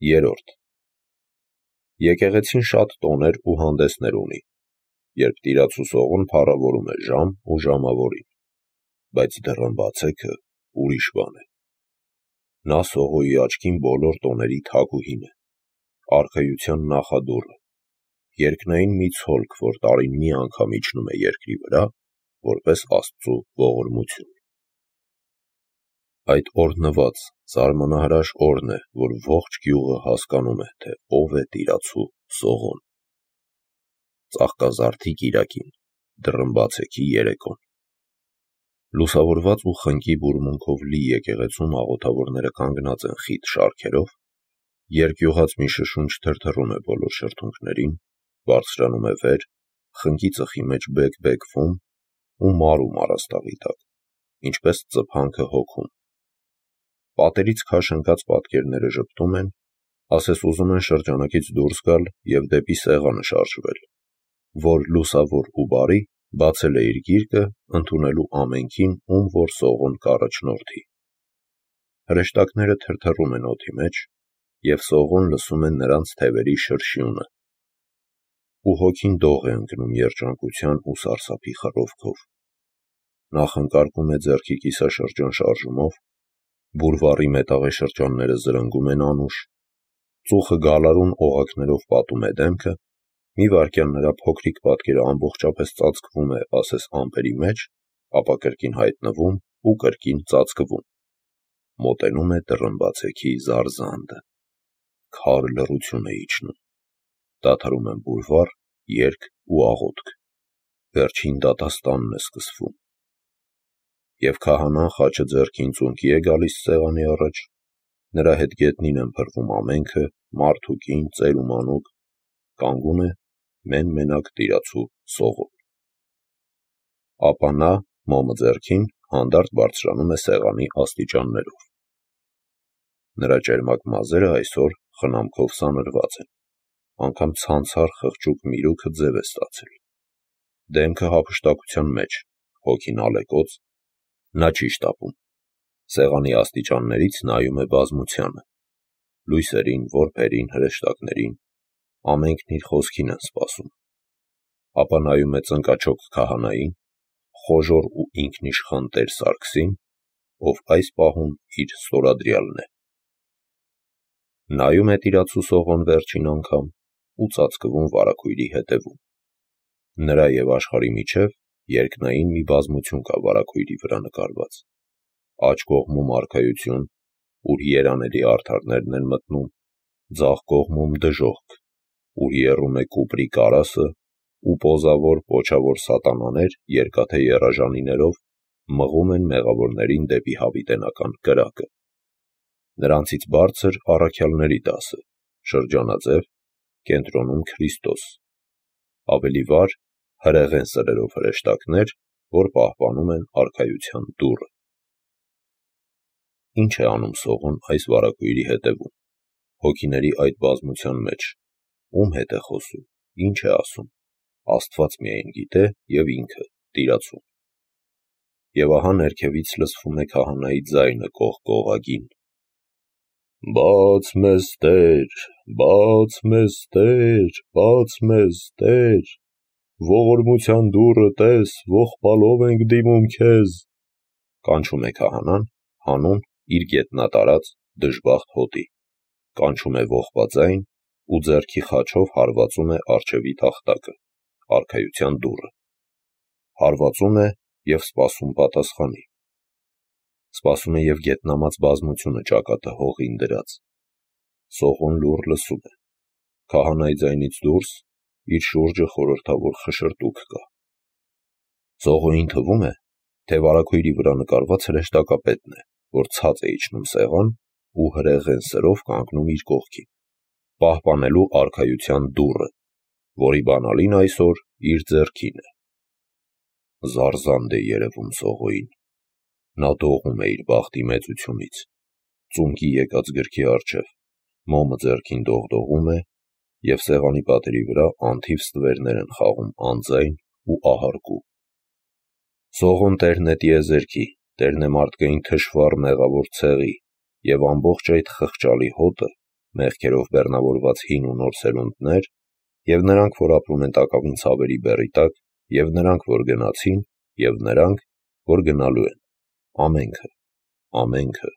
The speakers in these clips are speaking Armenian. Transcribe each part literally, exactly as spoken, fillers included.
Երորդ. Եկեղեցին շատ տոներ ու հանդեսներ ունի, երբ տիրացու Սողոն փառավորում է ժամ ու ժամավորին, բայց դռնբացեքը ուրիշ բան է։ Նա Սողոյի աչքին բոլոր տոների թագուհին է, արքայության նախադուռը, երկնային մի ցոլք, որ տարին մի անգամ իջնում է երկրի վրա, որպես Աստծու ողորմություն։ Այդ օրհնված, զարմանահրաշ օրն է, որ ողջ գյուղը հասկանում է, թե ով է տիրացու Սողոն։ Ծաղկազարդի կիրակին, դռնբացեքի երեկոն։ Լուսավորված ու խնկի բուրմունքով լի եկեղեցում աղոթավորները կանգնած են խիտ շարքերով, երկյուղած մի շշունչ թրթռում է բոլոր շրթունքներին, բարձրանում է վեր, խնկի ծխի մեջ բեկ-բեկվում ու մարում առաստաղի տակ, ինչպես ծփանքը հոգում։ Պատերից քաշ ընկած պատկերները ժպտում են, ասես ուզում են շրջանակից դուրս գալ և դեպի սեղանը շարժվել, որ լուսավոր ու բարի բացել է իր գիրկը, ընդունելու ամենքին, ում որ Սողոն կառաջնորդի։ Հրեշտակները թրթռում են օդի մեջ, և Սողոն լսում է նրանց թևերի շրշյունը, ու հոգին դող է ընկնում երջանկության ու սարսափի խռովքով։ Նա խնկարկում է ձեռքի կիսաշրջան շարժումով, բուրվառի մետաղե շրջանները զրնգում են անուշ, ծուխը գալարուն օղակներով պատում է դեմքը, մի վայրկյան նրա փոքրիկ պատկերը ամբողջապես ծածկվում է ասես ամպերի մեջ, ապա կրկին հայտնվում ու կրկին ծածկվում։ Մոտենում է դռնբացեքի զարզանդը։ Քար լռություն է իջնում։ Դադարում են բուրվառ, երգ ու աղոթք։ Վերջին դատաստանն է սկսվում։ Եվ քահանան խաչը ձեռքին ծունկի է գալիս սեղանի առաջ, նրա հետ գետնին են փռվում ամենքը, մարդ ու կին, ծեր ու մանուկ, կանգուն է մեն-մենակ տիրացու Սողոն։ Ապա նա, մոմը ձեռքին, հանդարտ բարձրանում է սեղանի աստիճաններով։ Նրա ճերմակ մազերը այսօր խնամքով սանրված են, անգամ ցանցառ խղճուկ միրուքը ձև է ստացել։ Դեմքը հափշտակության մեջ, հոգին ալեկոծ, նա չի շտապում։ Սեղանի աստիճաններից նայում է բազմությանը, լույսերին, որբերին, հրեշտակներին, ամենքն իր խոսքին են սպասում։ Ապա նայում է ծնկաչոք քահանային, խոժոռ ու ինքնիշխան տեր Սարգսին, ով այս պահում իր ստորադրյալն է։ Նայում է տիրացու Սողոն վերջին անգամ ու ծածկվում վարագույրի հետևում։ Նրա և աշխարհի միջև երկնային մի բազմություն կա վարագույրի վրա նկարված։ Աջ կողմում արքայություն, ուր երանելի արդարներն են մտնում, ձախ կողմում դժոխք, ուր եռում է կուպրի կարասը, ու պոզավոր, պոչավոր սատանաներ երկաթե եռաժանիներով մղում են մեղավորներին դեպի հավիտենական կրակը։ Նրանցից բարձր առաքյալների դասը, շրջանաձև, կենտրոնում Քրիստոս, ավելի վար հրեղեն սրերով հրեշտակներ, որ պահպանում են արքայության դուռը։ Ինչ է անում Սողոն այս վարագույրի հետևում, հոգիների այդ բազմության մեջ, ում հետ է խոսում, ինչ է ասում, Աստված միայն գիտե և ինքը, տիրացուն։ Եվ ահա ներքևից լսվում է քահանայի ձայնը կողկողագին. «Բաց մեզ, Տեր, բաց մեզ, Տեր, բաց մեզ, Տեր, ողորմության դուռը տես, ողբալով ենք դիմում քեզ», կանչում է քահանան, հանուն իր գետնատարած դժբախտ հոտի, կանչում է ողբաձայն ու ձեռքի խաչով հարվածում է առջևի տախտակը, արքայության դուռը։ Հարվածում է և սպասում պատասխանի։ Սպասում է և գետնամած բազմությունը ճակատը հողին դրած։ Սողոն լուռ լսում է։ Քահանայի ձայնից դուրս իր շուրջը խորհրդավոր խշշրտուք կա։ Սողոյին թվում է, թե վարագույրի վրա նկարված հրեշտակապետն է, որ ցած է իջնում սեղան ու հրեղեն սրով կանգնում իր կողքին, պահպանելու արքայության դուռը, որի բանալին այսօր իր ձեռքին է։ Զարզանդ է երևում Սողոյին։ Նա դողում է իր բախտի մեծությունից, ծունկի եկած գրքի առջև, մոմը ձեռքին դողդողում է, և սեղանի պատերի վրա անթիվ ստվերներ են խաղում անձայն ու ահարկու։ Սողոն տերն է տիեզերքի, տերն է մարդկային թշվառ մեղավոր ցեղի, և ամբողջ այդ խղճալի հոտը մեղքերով բեռնավորված հին ու նոր սերունդներ, և նրանք, որ ապրում են տակավին ցավերի բեռի տակ, և նրանք, որ գնացին, և նրանք, որ գնալու են, ամենքը, ամենքը,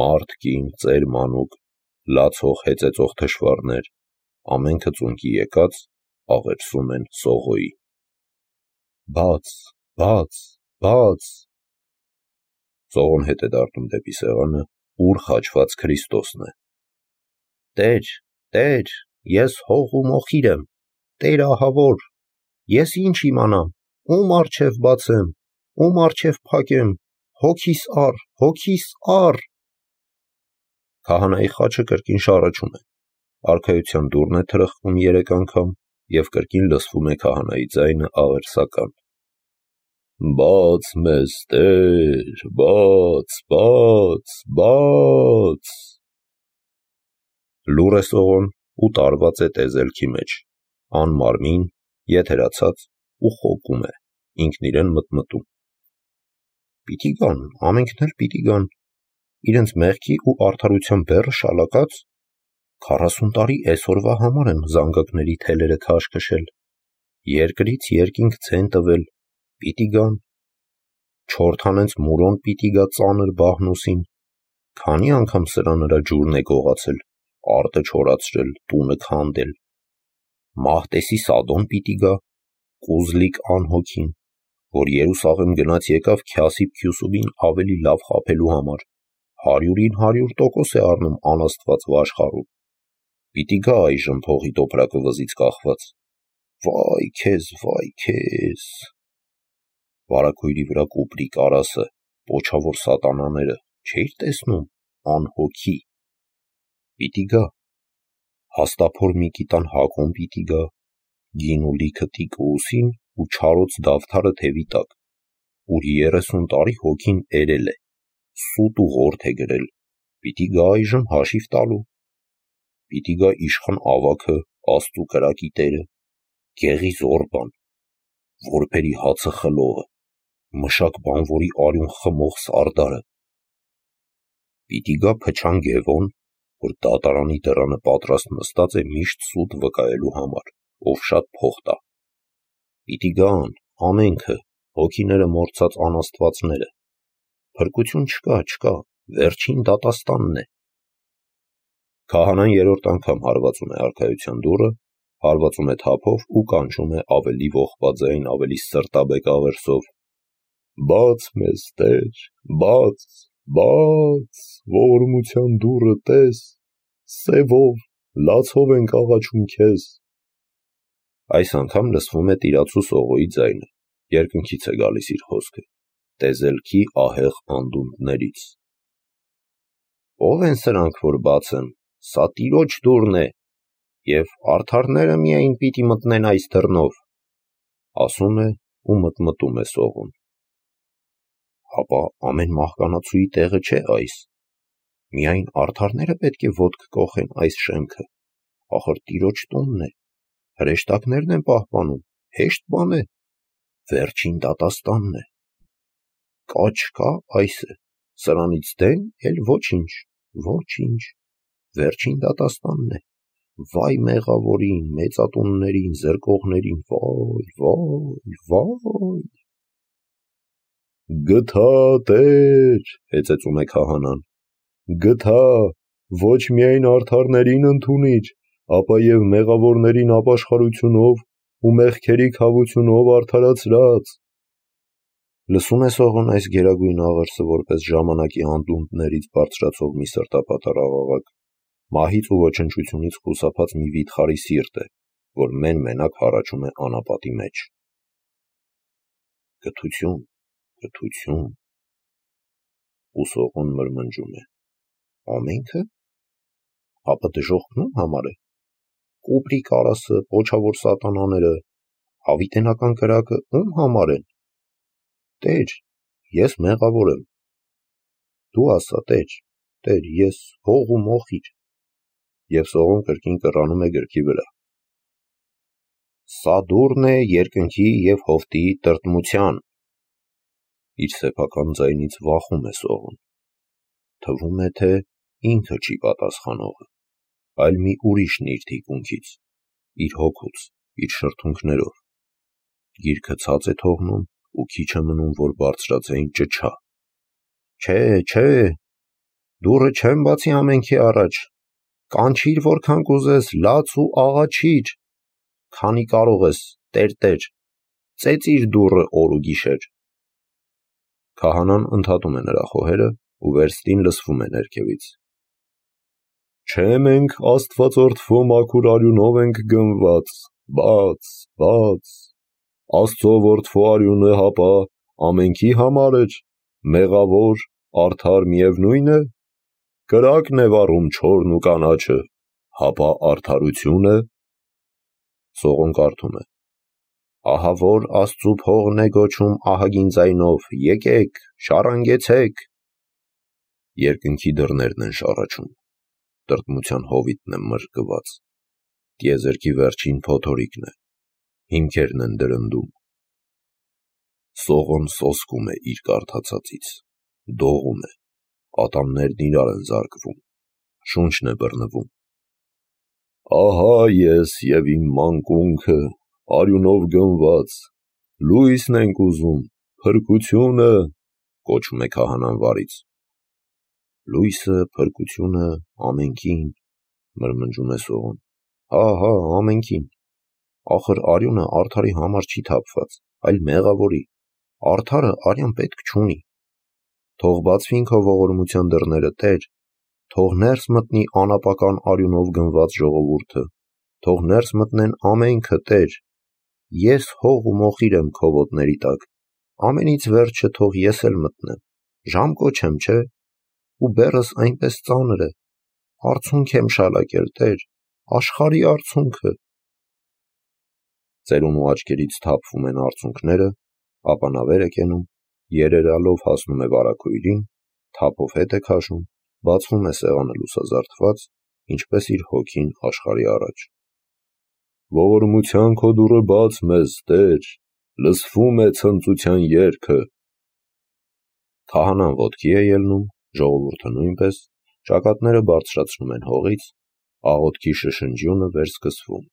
մարդ, կին, ծեր, մանուկ, լացող, հեծեծող թշվառներ, ամենքը ծունկի եկած, աղերսում են Սողոյի։ Բաց, բաց, բաց։ Սողոն հետ է դառնում դեպի սեղանը, ուր խաչված Քրիստոսն է։ Տեր, Տեր, ես հող ու մոխիր եմ, Տեր ահավոր, ես ինչ իմանամ, ում առջև բացեմ, ում առջև փակեմ, հոգիս առ, հոգիս առ։ Քահանայի խաչը կրկին շառաչում է, արքայության դուռն է թրխկում երեք անգամ, և կրկին լսվում է քահանայի ձայնը աղերսական. Բաց մեզ, Տեր, բաց, բաց, բաց։ Լուռ է Սողոն ու տարված է տեզելքի մեջ, անմարմին, եթերացած ու խոկում է, ինքն իրեն մտմտում. Պիտի գան, ամենքն էլ պիտի գան, իրենց մեղքի ու արդարության բեռը շալակած, քառասուն տարի էսօրվա համար են զանգակների թելերը քաշ քշել, երկրից երկինք ցեն տվել, պիտի գան, չորթանենց մուրոն պիտի գա ծանր բահնուսին, քանի անգամ սրա նրա ջուրն է գողացել, արտը չորացրել, տունը քանդել, Մահտեսի Սադոն պիտի գա, Կուզլիկ անհոգին, որ Երուսաղեմ գնաց եկավ Քյասիբ Քյուսուբին ավելի լավ խաբելու համար, հարյուրին հարյուր տոկոս է առնում անաստված վաշխառու, պիտի գա այժմ փողի տոպրակը վզից կախված, վայ քեզ, վայ քեզ, վարագույրի վրա կուպրի կարասը, պոչավոր սատանաները, չէիր տեսնում, անհոգի, պիտի գա, հաստափոր Միկիտան Հակոն պիտի գա, գին ու լիքը տիկը ուսին ու չարոց դավթարը թևի տակ, ուր երեսուն տարի հոգին էրել է, սուտ ու ղորդ է գրել, պիտի գա այժմ հաշիվ տալու, պիտի գա իշխան ավագը, աստու կրակի տերը, գեղի զորբան, որբերի հացը խլողը, մշակ բանվորի արյուն խմող սարդարը, պիտի գա փչան Գևոն, որ դատարանի դռանը պատրաստ նստած է միշտ սուտ վկայելու համար, ով շատ փող տա, պիտի գան, ամենքը, հոգիները մոռցած անաստվածները, փրկություն չկա, չկա, վերջին դատաստանն է։ Քահանան երրորդ անգամ հարվածում է արքայության դուռը, հարվածում է թափով ու կանչում է ավելի ողբաձայն, ավելի սրտաբեկ աղերսով. Բաց մեզ, Տեր, բաց, բաց, ողորմության դուռը տես, սևով, լացով ենք աղաչում քեզ։ Այս անգամ լսվում է տիրացու Սողոյի ձայնը, երկնքից է գալիս իր խոսքը, տեզելքի ահեղ անդունդներից։ Ո՞վ են սրանք, որ բաց են, սա Տիրոջ դուռն է, և արդարները միայն պիտի մտնեն այս դռնով, ասում է ու մտմտում է Սողոն։ Հապա ամեն մահկանացուի տեղը չէ այս, միայն արդարները պետք է ոտք կոխեն այս շեմքը, ախր Տիրոջ տունն է, հրեշտակներն են պահպանում, հեշտ բան է, վերջին դատաստանն է, կա չկա այս է, սրանից դեն էլ ոչինչ, ոչինչ, վերջին դատաստանն է, վայ մեղավորին, մեծատուններին, զրկողներին, վայ, վայ, վայ։ Գթա, Տեր, հեծեծում է քահանան, գթա, ոչ միայն արդարներին ընդունիչ, ապա և մեղավորներին ապաշխարությունով ու մեղքերի քավությունով արդարացրած։ Լսում է Սողոն այս գերագույն աղերսը որպես ժամանակի անդունդներից բարձրացող մի սրտապատառ աղաղակ, մահից ու ոչնչությունից խուսափած մի վիթխարի սիրտ է, որ մեն-մենակ հառաչում է անապատի մեջ։ Գթություն, գթություն։ Ու Սողոն մրմնջում է. ամենքը, ապա դժոխքն ում համար է, կուպրի կարասը, պոչավոր սատանաները, հավիտենական կրակը ում համար են, Տեր, ես մեղավոր եմ, դու ասա, Տեր, Տեր, ես հող ու մոխիր, և Սողոն կրկին կռանում է գրքի վրա։ Սա դուռն է երկնքի և հովտի տրտմության։ Իր սեփական ձայնից վախում է Սողոն, թվում է, թե ինքը չի պատասխանողը։ այլ մի ուրիշն իր թիկունքից, իր հոգուց, իր շրթունքներով։ Գիրքը ցած է թողնում ու քիչ է մնում, որ բարձրաձայն ճչա. «Չէ, չէ, դուռը չեմ բացի ամենքի առաջ, կանչիր որքան կուզես, լաց ու աղաչիր, քանի կարող ես, տեր-տեր, ծեծիր դուռը օր ու գիշեր»։ Քահանան ընդհատում է նրա խոհերը ու վերստին լսվում է ներքևից. «Չէ մենք աստվածորդվո մաքուր արյունով ենք գնված, բաց, բաց, Աստծո որդվո արյունը հապա ամենքի համար էր, մեղավոր, արդար միևնույն է, կրակն է վառում չորն ու կանաչը, հապա արդարություն է»։ Սողոն կարդում է. «Ահա որ Աստծու փողն է գոչում ահագին ձայնով, եկեք, շառանգեցեք»։ Երկնքի դռներն են շառաչում, տրտմության հովիտն է մրկված, տիեզերքի վերջին փոթորիկն է, հիմքերն են դրնդում։ Սողոն սոսկում է իր կարդացածից, դողում է, ատամներն իրար են զարկվում, շունչն է բռնվում։ «Ահա ես և իմ մանկունքը, արյունով գնված, լույսն ենք ուզում, փրկությունը», կոչում է քահանան վարից։ «Լույսը, փրկությունը, ամենքին», մրմնջում է Սողոն, «հա, հա, ամենքին, ախր արյունը արդարի համար չի թափված, այլ մեղավորի, արդարը արյան պետք չունի։ Թող բացվին քո ողորմության դռները, Տեր, թող ներս մտնի անապական արյունով գնված ժողովուրդը, թող ներս մտնեն ամենքը, Տեր, ես հող ու մոխիր եմ քո ոտների տակ, ամենից վերջը թող ես էլ մտնեմ, ժամ կոչեմ, չէ, ու բեռս այնպես ծանր է, արցունք եմ շալակել, Տեր, աշխարհի արցունքը»։ Ծերունու աչքերից թափվում են արցունքները, ապա նա վեր է կենում, երերալով հասնում է վարագույրին, թափով հետ է քաշում, բացվում է սեղանը լուսազարդված, ինչպես իր հոգին աշխարհի առաջ։ «Ողորմության քո դուռը բաց մեզ, Տեր, լսվում է ցնծության երգը»։ Քահանան ոտքի է ելնում, ժողովուրդը նույնպես, ճակատները բարձրացնում են հողից, աղոթքի շշնջյունը վերսկսվում։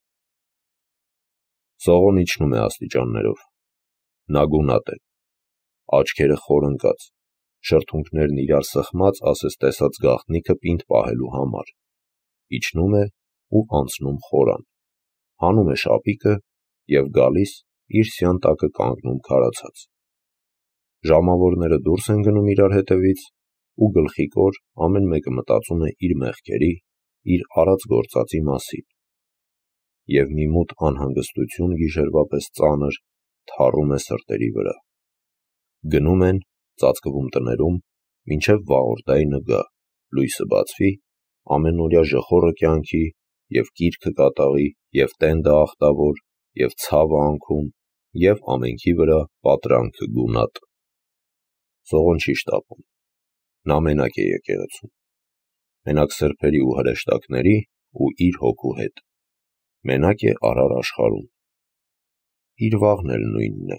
Սողոն իջնում է աստիճաններով, նա գունատ է, աչքերը խոր ընկած, շրթունքներն իրար սխմած ասես տեսած գաղտնիքը պինդ պահելու համար, իջնում է ու անցնում խորան, հանում է շապիկը և գալիս իր սյան տակը կանգնում քարացած։ Ժամավորները դուրս են գնում իրար հետևից ու գլխիկոր ամեն մեկը մտածում է իր մեղքերի, իր արած գործածի մասին, և մի մութ անհանգստություն գիշերվա պես ծանր թառում է սրտերի վրա։ Գնում են, ծածկվում տներում, մինչև վաղորդայնը գա, լույսը բացվի, ամենօրյա ժխորը կյանքի, և կիրքը կատաղի, և տենդը ախտավոր, և ցավը անքուն, և ամենքի վրա պատրանքը գունատ։ Սողոն չի շտապում, նա մենակ է եկեղեցում, մենակ սրբերի ու հրեշտակների ու իր հոգու հետ, մենակ է արար աշխարհում։ Իր վաղն էլ նույնն է,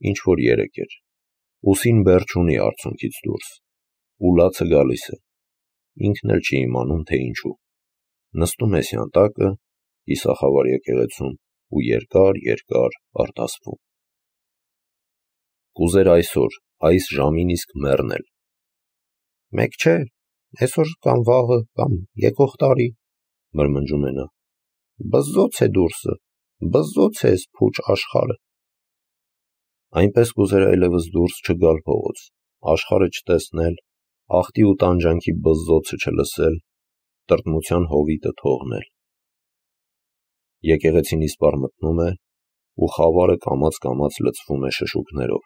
ինչ որ երեկ էր, ուսին բեռ չունի արցունքից դուրս, ու լացը գալիս է, ինքն էլ չի իմանում, թե ինչու, նստում է սյան տակը, կիսախավար եկեղեցում ու երկար-երկար արտասվում։ Կուզեր այսօր, այս ժամին իսկ մեռնել։ «Մեկ չէ, այսօր կամ վաղը, կամ եկող տարի», մրմնջում է նա, «բզզոց է դուրսը, բզզոց է էս փուչ աշխարհը»։ Այնպես կուզեր այլևս դուրս չգալ փողոց, աշխարհը չտեսնել, աղտի ու տանջանքի բզզոցը չլսել, տրտմության հովիտը թողնել։ Եկեղեցին իսպառ մտնում է, ու խավարը կամաց-կամաց լցվում է շշուկներով,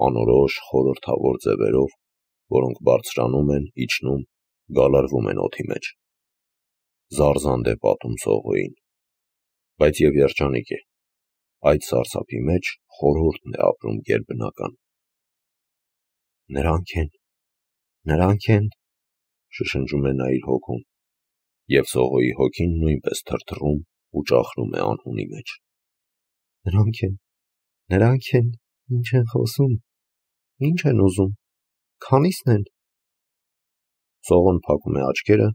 անորոշ խորհրդավոր ձևերով, որոնք բարձրանում են, իջնում, գալարվում են օդի մեջ։ Զարզանդ է պատում Սողոյին, բայց և երջանիկ է, այդ սարսափի մեջ խորհուրդն է ապրում գերբնական։ «Նրանք են, նրանք են», շշնջում է նա իր հոգում, և Սողոյի հոգին նույնպես թրթռում ու ճախրում է անհունի մեջ։ «Նրանք են, նրանք են, ինչ են խոսում, ինչ են ուզում, քանի՞սն են»։ Սողոն փակում է աչքերը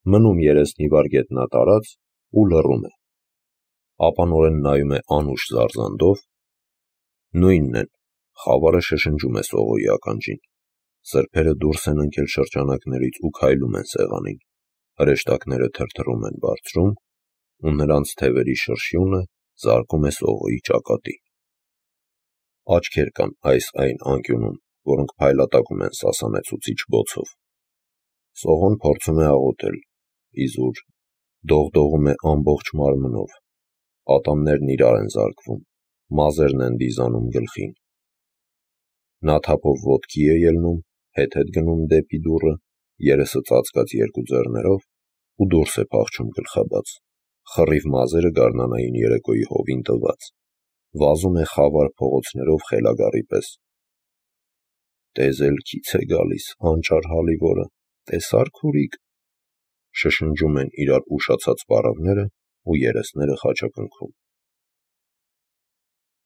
մնում երեսնի վար գետնա տարած ու լռում է, ապա նորեն նայում է անուշ զարզանդով, նույնն են, խավարը շշնջում է Սողոյի ականջին, սրբերը դուրս են ընկել շրջանակներից ու քայլում են սեղանին, հրեշտակները թրթռում են բարձրում, ու նրանց թևերի շրշյունը զարկում է Սողոյի ճակատին։ Աչքեր կան այս այն անկյունում, որոնք փայլատակում են սասանեցուցիչ բոցով։ Սողոն փորձում է աղոթել, իզուր, դողդողում է ամբողջ մարմնով, ատամներն իրար են զարկվում, մազերն են դիզանում գլխին։ Նա թափով ոտքի է ելնում, հետ-հետ գնում դեպի դուռը, երեսը ծածկած երկու ձեռներով ու դուրս է փախչում գլխաբաց, խռիվ մազերը գարնանային երեկոյի հովին տված, վազում է խավար փողոցներով խելագարի պես։ «Տեզ էլ քիչ է գալիս, անճար հալիվորը, տեսա՞ր քուրիկ», շշնջում են իրար ուշացած պառավները ու երեսները խաչակնքում։